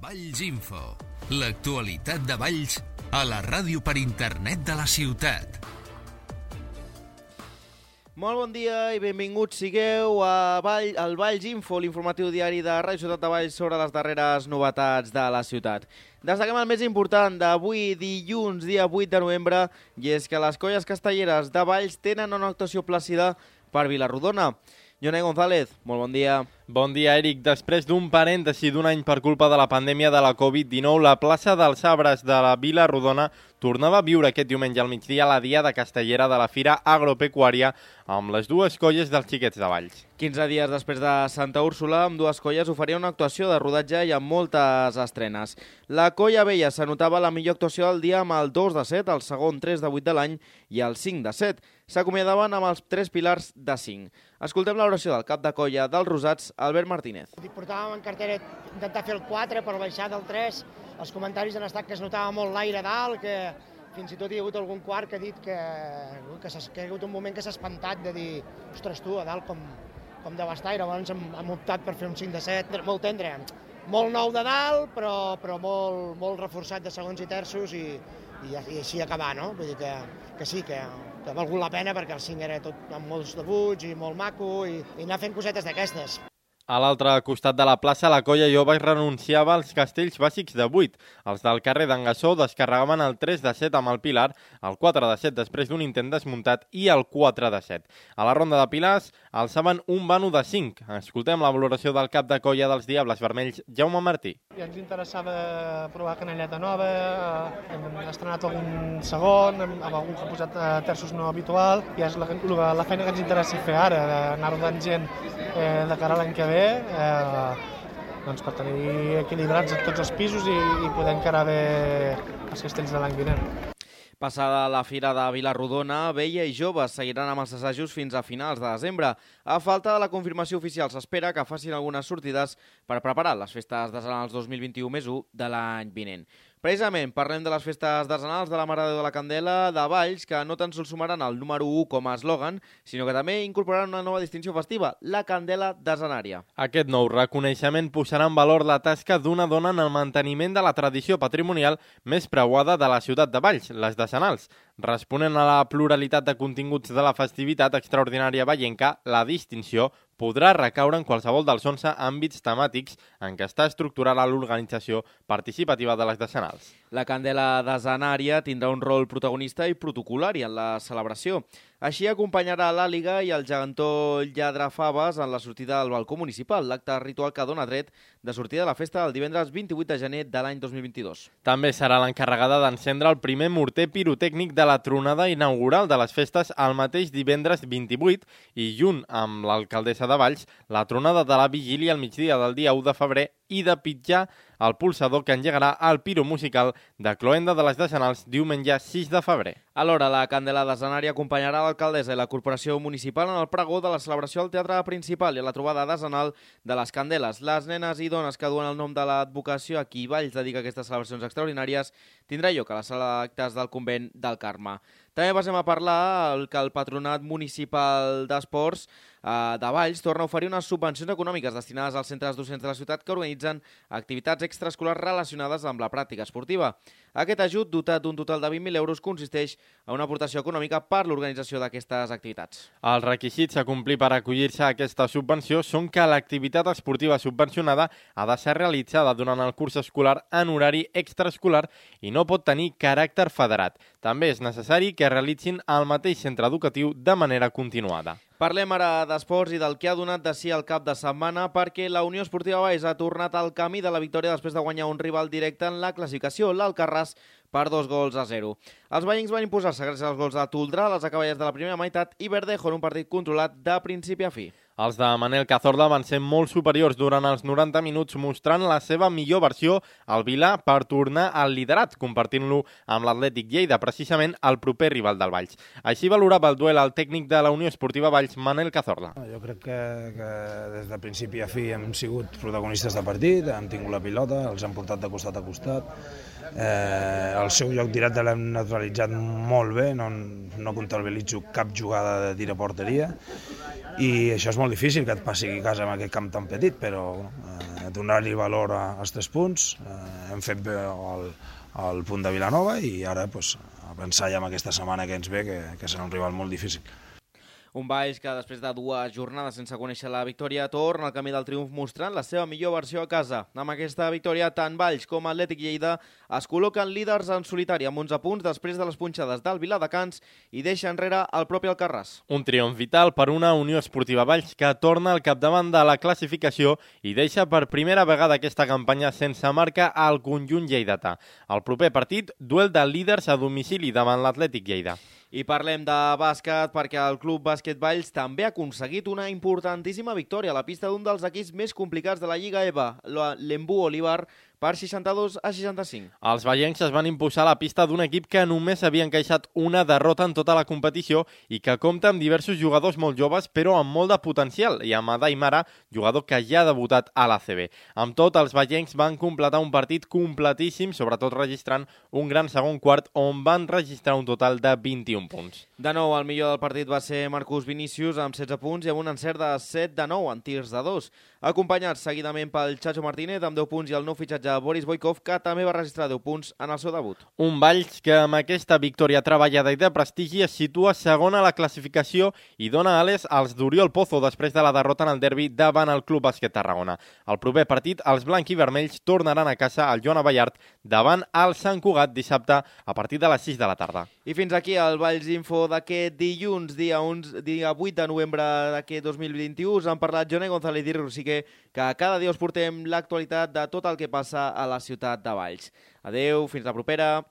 Valls Info, l'actualitat de Valls a la ràdio per internet de la ciutat. Molt bon dia i benvinguts sigueu al Valls Info, l'informatiu diari de Ràdio Ciutat de Valls sobre les darreres novetats de la ciutat. Destaquem el més important d'avui, dilluns, dia 8 de novembre, i és que les colles castelleres de Valls tenen una actuació plàcida per Vila-rodona. Jonai González, molt bon dia. Bon dia, Eric. Després d'un parèntesi d'un any per culpa de la pandèmia de la Covid-19, la plaça dels Arbres de la Vila-rodona tornava a viure aquest diumenge al migdia la diada castellera de la Fira Agropecuària amb les dues colles dels Xiquets de Valls. 15 dies després de Santa Úrsula, amb dues colles oferia una actuació de rodatge i amb moltes estrenes. La Colla Vella s'anotava la millor actuació del dia amb el 2 de 7, el segon 3 de 8 de l'any i el 5 de 7. S'acomiadaven amb els 3 pilars de 5. Escoltem l'oració del cap de colla dels Rosats, Albert Martínez. Portàvem en cartera intentar fer el 4 per baixar del 3. Els comentaris han estat que es notava molt l'aire dalt, que fins i tot hi ha hagut algun quart que ha dit que hi ha hagut un moment que s'ha espantat de dir ostres tu, a dalt com devastar, i llavors hem optat per fer un 5 de 7, molt tendre, molt nou de dalt, però molt reforçat de segons i terços i així acabar, no? Vull dir que sí, que ha valgut la pena perquè el 5 era tot amb molts debuts i molt maco i anar fent cosetes d'aquestes. A l'altre costat de la plaça, la colla jove renunciava als castells bàsics de 8. Els del carrer d'en Gassó descarregaven el 3 de 7 amb el Pilar, el 4 de 7 després d'un intent desmuntat i el 4 de 7. A la ronda de Pilars alçaven un vano de 5. Escoltem la valoració del cap de colla dels Diables Vermells, Jaume Martí. Ja ens interessava provar canelleta nova, hem estrenat algun segon, amb algun que ha posat terços no habitual, i és la feina que ens interessa fer ara, d'anar rodant gent de cara a l'any que ve, doncs per tenir equilibrats tots els pisos i poder encarar bé els castells de l'any vinent. Passada la Fira de Vila-rodona, Vella i Joves seguiran amb els assajos fins a finals de desembre. A falta de la confirmació oficial, s'espera que facin algunes sortides per preparar les festes decenals 2021+1 de l'any vinent. Precisament parlem de les festes decenals de la Mare de Déu de la Candela de Valls, que no tan sols sumaran el número 1 com a eslògan, sinó que també incorporaran una nova distinció festiva, la Candela Decenària. Aquest nou reconeixement posarà en valor la tasca d'una dona en el manteniment de la tradició patrimonial més preuada de la ciutat de Valls, les decenals. Responent a la pluralitat de continguts de la festivitat extraordinària vallenca, la distinció podrà recaure en qualsevol dels 11 àmbits temàtics en què està estructurada l'organització participativa de les decenals. La Candela Decenària tindrà un rol protagonista i protocolari en la celebració. Així acompanyarà l'Àliga i el gegantó Lladrafaves en la sortida del balcó municipal, l'acte ritual que dona dret de sortida de la festa el divendres 28 de gener de l'any 2022. També serà l'encarregada d'encendre el primer morter pirotècnic de la tronada inaugural de les festes el mateix divendres 28 i, junt amb l'alcaldessa de Valls, la tronada de la vigília al migdia del dia 1 de febrer i de pitjar el pulsador que engegarà el piro musical de cloenda de les decenals diumenge 6 de febrer. Alhora, la Candela Decenària acompanyarà l'alcaldessa i la corporació municipal en el pregó de la celebració al teatre principal i a la trobada decenal de les Candeles. Les nenes i dones que duen el nom de l'advocació a qui Valls dedica aquestes celebracions extraordinàries tindrà lloc a la sala d'actes del convent del Carme. També passem a parlar que el Patronat Municipal d'Esports de Valls torna a oferir unes subvencions econòmiques destinades als centres docents de la ciutat que organitzen activitats extraescolars relacionades amb la pràctica esportiva. Aquest ajut, dotat d'un total de 20.000 euros, consisteix en una aportació econòmica per l'organització d'aquestes activitats. Els requisits a complir per acollir-se a aquesta subvenció són que l'activitat esportiva subvencionada ha de ser realitzada durant el curs escolar en horari extraescolar i no pot tenir caràcter federat. També és necessari que realitzin al mateix centre educatiu de manera continuada. Parlem ara d'esports i del que ha donat de si el cap de setmana, perquè la Unió Esportiva Valls ha tornat al camí de la victòria després de guanyar un rival directe en la classificació, l'Alcarràs, per 2-0. Els vallencs van imposar-se gràcies als gols de Toldrà a les acaballes de la primera meitat i Verdejo en un partit controlat de principi a fi. Els de Manel Cazorla van ser molt superiors durant els 90 minuts, mostrant la seva millor versió al Vilà per tornar al liderat, compartint-lo amb l'Atlètic Lleida, precisament el proper rival del Valls. Així valorava el duel el tècnic de la Unió Esportiva Valls, Manel Cazorla. Jo crec que des de principi a fi hem sigut protagonistes de partit, hem tingut la pilota, els hem portat de costat a costat. El seu joc directe l'hem neutralitzat molt bé, no comptabilitzo cap jugada de tir a porteria, i això és molt difícil que et passi a casa amb aquest camp tan petit, però donar-li valor als 3 punts. Hem fet bé el punt de Vilanova i ara a pensar ja en aquesta setmana que ens ve, que serà un rival molt difícil. Un Valls que després de 2 jornades sense conèixer la victòria torna al camí del triomf mostrant la seva millor versió a casa. Amb aquesta victòria, tant Valls com Atlètic Lleida es col·loquen líders en solitari amb 11 punts després de les punxades del Viladecans i deixa enrere el propi Alcarràs. Un triomf vital per una Unió Esportiva Valls que torna al capdavant de la classificació i deixa per primera vegada aquesta campanya sense marca al conjunt lleidatà. El proper partit, duel de líders a domicili davant l'Atlètic Lleida. I parlem de bàsquet perquè el Club Bàsquet Valls també ha aconseguit una importantíssima victòria a la pista d'un dels equips més complicats de la Lliga EVA, l'Embú Olivar, per 62-65. Els vallencs es van imposar a la pista d'un equip que només havia encaixat una derrota en tota la competició i que compta amb diversos jugadors molt joves però amb molt de potencial, i amb Adai Mara, jugador que ja ha debutat a l'ACB. Amb tot, els vallencs van completar un partit completíssim, sobretot registrant un gran segon quart on van registrar un total de 21 punts. De nou, el millor del partit va ser Marcus Vinícius amb 16 punts i amb un encert de 7 de 9 en tirs de 2, acompanyat seguidament pel Chacho Martínez amb 10 punts i el nou fitxatge Boris Boikov, que també va registrar 10 punts en el seu debut. Un Valls que amb aquesta victòria treballada i de prestigi es situa segon a la classificació i dona ales als d'Oriol Pozo després de la derrota en el derbi davant el Club Bàsquet Tarragona. El proper partit, els blancs i vermells tornaran a casa al Joan Abellart davant el Sant Cugat dissabte a partir de les 6 de la tarda. I fins aquí el Valls Info d'aquest dilluns, dia 8 de novembre d'aquest 2021. Us han parlat Joné González i Rosique, que cada dia us portem l'actualitat de tot el que passa a la ciutat de Valls. Adeu, fins la propera.